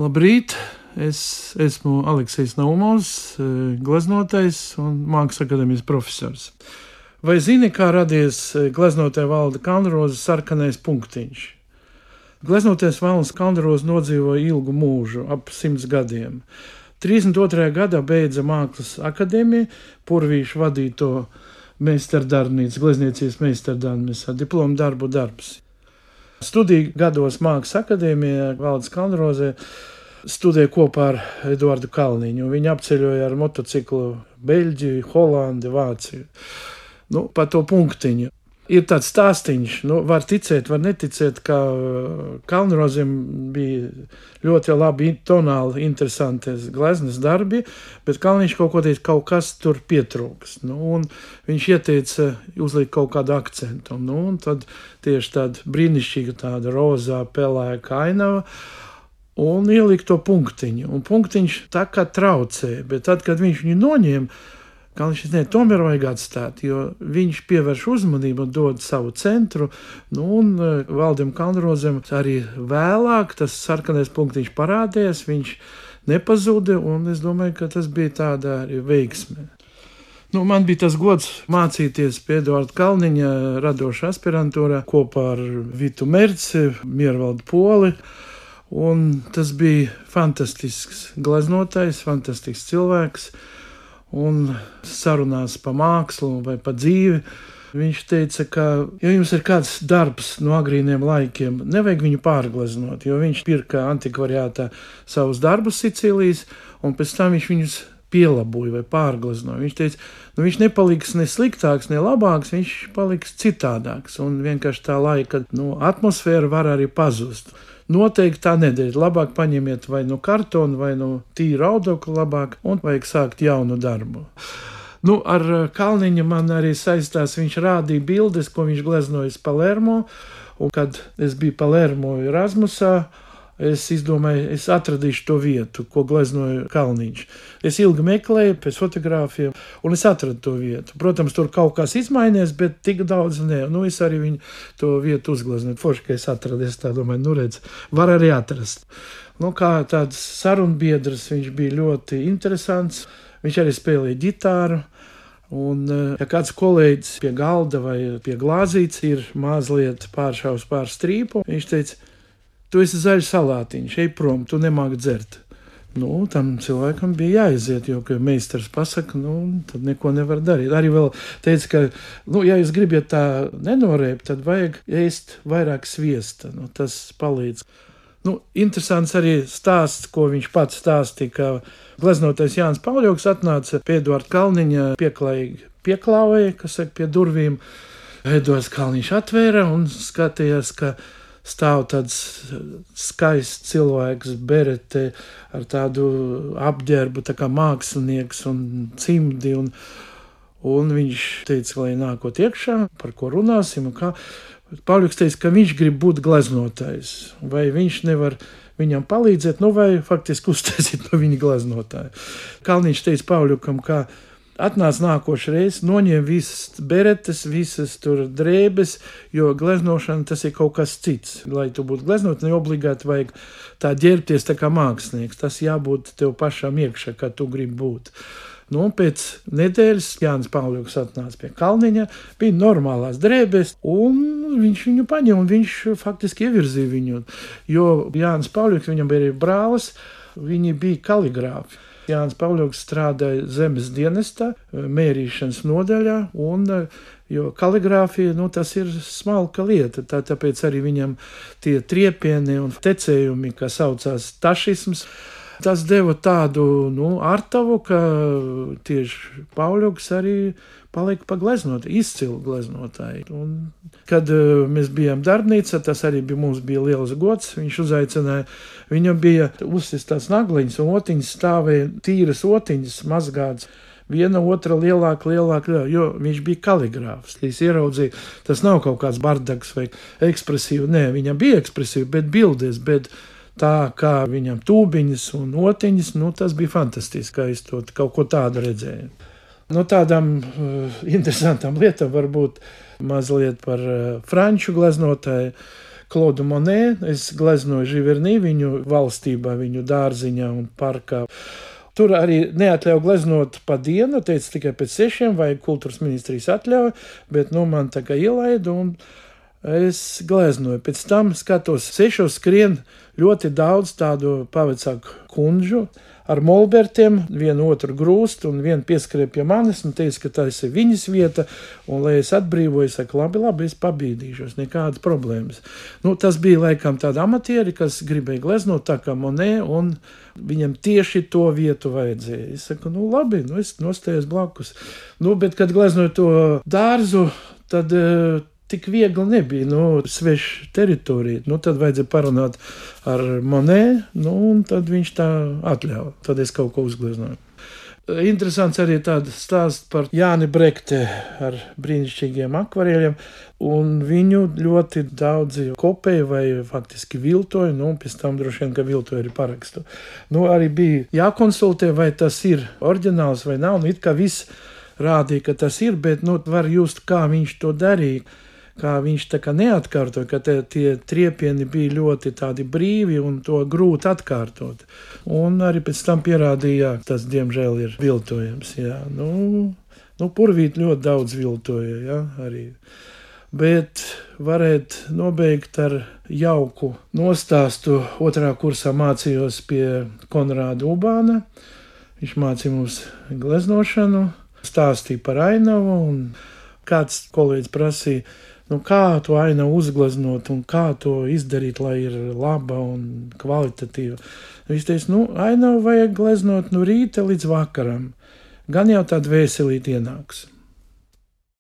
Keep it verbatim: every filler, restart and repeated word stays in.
Labrīt! Es esmu Aleksijs Naumovs, gleznotais un Mākslas akadēmijas profesors. Vai zini, kā radies gleznotāja Valda Kalnroza sarkanais punktiņš? Gleznotais Valds Kalnroza nodzīvoja ilgu mūžu, ap simts gadiem. trīsdesmit otrajā gadā beidza Mākslas akadēmiju, Purvīša vadīto meistardarbnīcu, glezniecības meistardarbnīcu, diplomu darbu darbs. Studiju gados Mākslas akadēmijā Valds Kalnroza studēja kopā ar Eduardu Kalniņu. Viņi apceļoja ar motociklu Beļģiju, Holandi, Vāciju. Nu, pa to punktiņu. Ir tāds stāstiņš, nu, var ticēt, var neticēt, ka Kalnrozim bija ļoti labi tonāli, interesanti gleznas darbi, bet Kalniņš kaut ko teica, kaut kas tur pietrūks. Nu, un viņš ieteica uzlikt kaut kādu akcentu. Nu, un tad tieši tāda brīnišķīga tāda rozā pelēka ainava, un ielikt to punktiņu. Un punktiņš tā kā traucē, bet tad, kad viņš viņu noņēma, Kalniņš ne, tomēr vajag atstāt, jo viņš pievērš uzmanību un dod savu centru. Nu, un Valdim Kalnrozam arī vēlāk tas sarkanais punktiņš parādījās, viņš nepazuda, un es domāju, ka tas bija tāda arī veiksme. Nu, man bija tas gods mācīties pie Eduarda Kalniņa radošā aspirantūrā kopā ar Vitu Merci, Miervaldu Poli. Un tas bija fantastisks gleznotājs, fantastisks cilvēks, un sarunās pa mākslu vai pa dzīvi. Viņš teica, ka, ja jums ir kāds darbs no agrīniem laikiem, nevajag viņu pārgleznot, jo viņš pirka antikvariātā savus darbus Sicīlijas, un pēc tam viņš viņus pielaboja vai pārgleznoja. Viņš teica, nu viņš nepaliks ne sliktāks, ne labāks, viņš paliks citādāks, un vienkārši tā laika nu, atmosfēra var arī pazust. Noteikti tā nedēļa. Labāk paņemiet vai no kartona, vai no tīra audokla labāk, un vajag sākt jaunu darbu. Nu, ar Kalniņu man arī saistās, viņš rādīja bildes, ko viņš gleznojas Palermo, un kad es biju Palermo Erasmusā, es izdomāju, es atradīšu to vietu, ko gleznoja Kalniņš. Es ilgi meklēju pēc fotogrāfiem, un es atradu to vietu. Protams, tur kaut kas izmainījies, bet tik daudz ne. Nu, es arī viņu to vietu uzgleznoju. Forši, ka es atradu, es tā domāju, nu redz, var arī atrast. Nu, kā tāds sarunbiedrs, viņš bija ļoti interesants. Viņš arī spēlēja ģitāru. Un, ja kāds kolēģis pie galda vai pie glāzītes ir mazliet pāršaus pār strīpu, viņš teica, tu esi zaļš salātiņš, ej prom, tu nemāki dzert. Nu, tam cilvēkam bija jāiziet, jo, ka meistars pasaka, nu, tad neko nevar darīt. Arī vēl teica, ka, nu, ja jūs gribat tā nenorēpt, tad vajag ēst vairāk sviesta, nu, tas palīdz. Nu, interesants arī stāsts, ko viņš pats stāstīja, ka gleznotais Jānis Pauļoks atnāca pie Eduarda Kalniņa pieklājīgi pieklāvēja, kas saka, pie durvīm. Eduards Kalniņš atvēra un skatījās, ka stāv tāds skaists cilvēks, berete ar tādu apģērbu, tā kā mākslinieks un cimdi, un, un viņš teica, lai nākot iekšā, par ko runāsim, un kā. Pauļoks teica, ka viņš grib būt gleznotājs, vai viņš nevar viņam palīdzēt, nu vai faktiski uztaisīt no viņa gleznotāju. Kalniņš teica Pauļokam, ka atnāc nākošreiz, noņem visas beretes, visas tur drēbes, jo gleznošana tas ir kaut kas cits. Lai tu būtu gleznot, ne obligāti vajag tā ģērbties tā kā mākslinieks. Tas jābūt tev pašam iekšā, kā tu gribi būt. Nu, pēc nedēļas Jānis Pauļoks atnāca pie Kalniņa, bija normālās drēbes, un viņš viņu paņem, un viņš faktiski ievirzīja viņu. Jo Jānis Pauļoks, viņam bija arī brālis, viņi bija kaligrāfi. Jānis Pauļoks strādāja zemes dienestā, mērīšanas nodaļā, un, jo kaligrāfija, nu, tas ir smalka lieta, tā, tāpēc arī viņam tie triepieni un tecējumi, kas saucās tašisms, tas deva tādu, nu, artavu, ka tieši Pauļoks arī palika pa gleznot, izcilu gleznotāji. Un, kad uh, mēs bijām darbnīcā, tas arī bija, mums bija liels gods, viņš uzaicināja, viņam bija uzsistās nagliņas un otiņas stāvēja tīras otiņas mazgāts, viena otra lielāka, lielāka, lielāka, jo viņš bija kaligrāfs. Es ieraudzīju, tas nav kaut kāds bardaks vai ekspresīvi, nē, viņam bija ekspresīvi, bet bildēs, bet tā kā viņam tūbiņas un otiņas, nu tas bija fantastiski, ka es to kaut ko tādu redzēju. No tādām uh, interesantām lietām varbūt mazliet par uh, franču gleznotāju, Klodu Monē, es gleznoju Živernī viņu valstībā, viņu dārziņā un parkā. Tur arī neatļauj gleznot pa dienu, teica tikai pēc sešiem, vai kultūras ministrijas atļauj, bet nu man tā kā ielaida un es gleznoju. Pēc tam skatos, sešos skrien ļoti daudz tādu pavecāku kundžu ar molbertiem, vienu otru grūst un vienu pieskrēja pie manis un teica, ka tas ir viņas vieta, un lai es atbrīvoju, saka, labi, labi, es pabīdīšos, nekādas problēmas. Nu, tas bija laikam tādi amatieri, kas gribēja gleznot tā kā Monē, un viņam tieši to vietu vajadzēja. Es saku, nu labi, nu es nostājos blakus. Nu, bet, kad gleznoju to dārzu, tad tik viegli nebija, nu, sveša teritorija. Nu, tad vajadzēja parunāt ar Monē, nu, un tad viņš tā atļauj. Tad es kaut ko uzgleznoju. Interesants arī tāds stāsts par Jāni Brekte ar brīnišķīgiem akvarēļiem, un viņu ļoti daudzi kopēja vai faktiski viltoja, nu, pēc tam droši vien, ka viltoja arī parakstu. Nu, arī bija jākonsultē, vai tas ir oriģināls vai nav, nu, it kā viss rādīja, ka tas ir, bet, nu, var just, kā viņš to darīja. Kā viņš tā kā neatkārtoja, ka te, tie triepieni bija ļoti tādi brīvi un to grūti atkārtot. Un arī pēc tam pierādīja, tas diemžēl ir viltojams, jā. Nu, nu purvīt ļoti daudz viltoja, jā, arī. Bet varēt nobeigt ar jauku nostāstu. Otrā kursā mācījos pie Konrāda Ubāna. Viņš mācīja mums gleznošanu, stāstīja par ainavu, un kāds kolēģis prasīja, nu, kā to ainavu uzgleznot un kā to izdarīt, lai ir laba un kvalitatīva. Viņš teica, nu, ainavu vajag gleznot no rīta līdz vakaram. Gan jau tāda vēselīta ienāks.